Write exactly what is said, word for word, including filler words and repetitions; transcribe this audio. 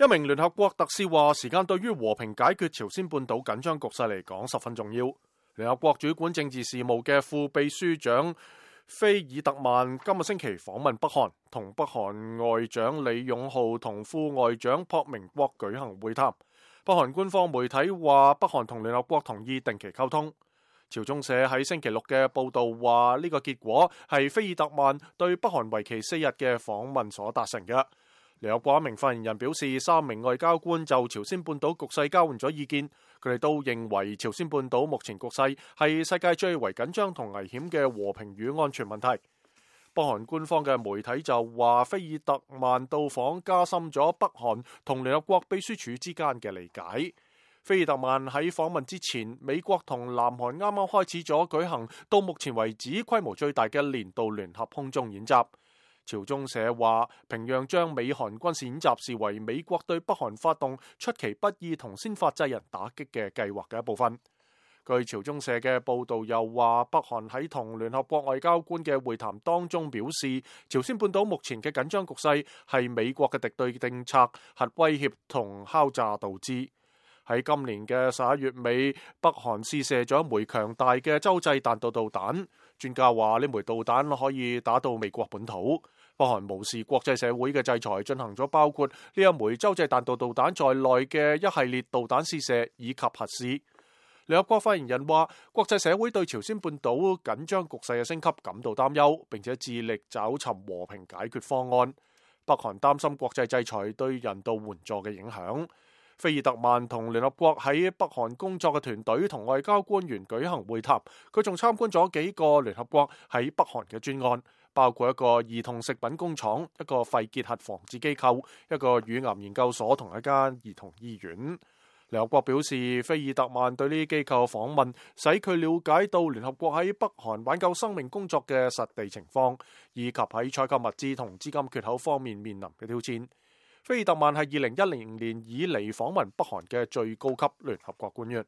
一名聯合國特使話，時間對於和平解決朝鮮半島緊張局勢嚟講十分重要。聯合國主管政治事務嘅副秘書長菲爾特曼今個星期訪問北韓，同北韓外長李勇浩同副外長朴明國舉行會談。北韓官方媒體話，北韓同聯合國同意定期溝通。朝中社喺星期六嘅報道話，呢個結果係菲爾特曼對北韓為期四日嘅訪問所達成嘅。聯合國一名發言人表示，三名外交官就朝鮮半島局勢交換咗意見，佢哋都認為朝鮮半島目前局勢係世界最為緊張同危險嘅和平與安全問題。北韓官方嘅媒體就話，菲爾特曼到訪加深咗北韓同聯合國秘書處之間嘅理解。菲爾特曼喺訪問之前，美國同南韓啱啱開始咗舉行到目前為止規模最大嘅年度聯合空中演習。朝中社話，平壤將美韓軍事演習視為美國對北韓發動出其不意同先發制人打擊嘅計劃嘅一部分。據朝中社嘅報導又話，北韓喺同聯合國外交官嘅會談當中表示，朝鮮半島目前嘅緊張局勢係美國嘅敵對政策、核威脅同敲詐導致。喺今年嘅十一月尾，北韓試射咗一枚強大嘅洲際彈道導彈。專家話呢枚導彈可以打到美國本土。北韓無視國際社會嘅制裁，進行咗包括呢一枚洲際彈道導彈在內嘅一系列導彈試射以及核試。聯合國發言人話，國際社會對朝鮮半島緊張局勢嘅升級感到擔憂，並且致力找尋和平解決方案。北韓擔心國際制裁對人道援助嘅影響。菲爾特曼同聯合國喺北韓工作嘅團隊同外交官員舉行會談，佢仲參觀咗幾個聯合國喺北韓嘅專案，包括一個兒童食品工廠、一個肺結核防治機構、一個乳癌研究所同一間兒童醫院。聯合國表示，菲爾特曼對呢啲機構訪問，使佢了解到聯合國喺北韓挽救生命工作嘅實地情況，以及喺採購物資同資金缺口方面面臨嘅挑戰。菲爾特曼係二零一零年以嚟訪問北韓嘅最高級聯合國官員。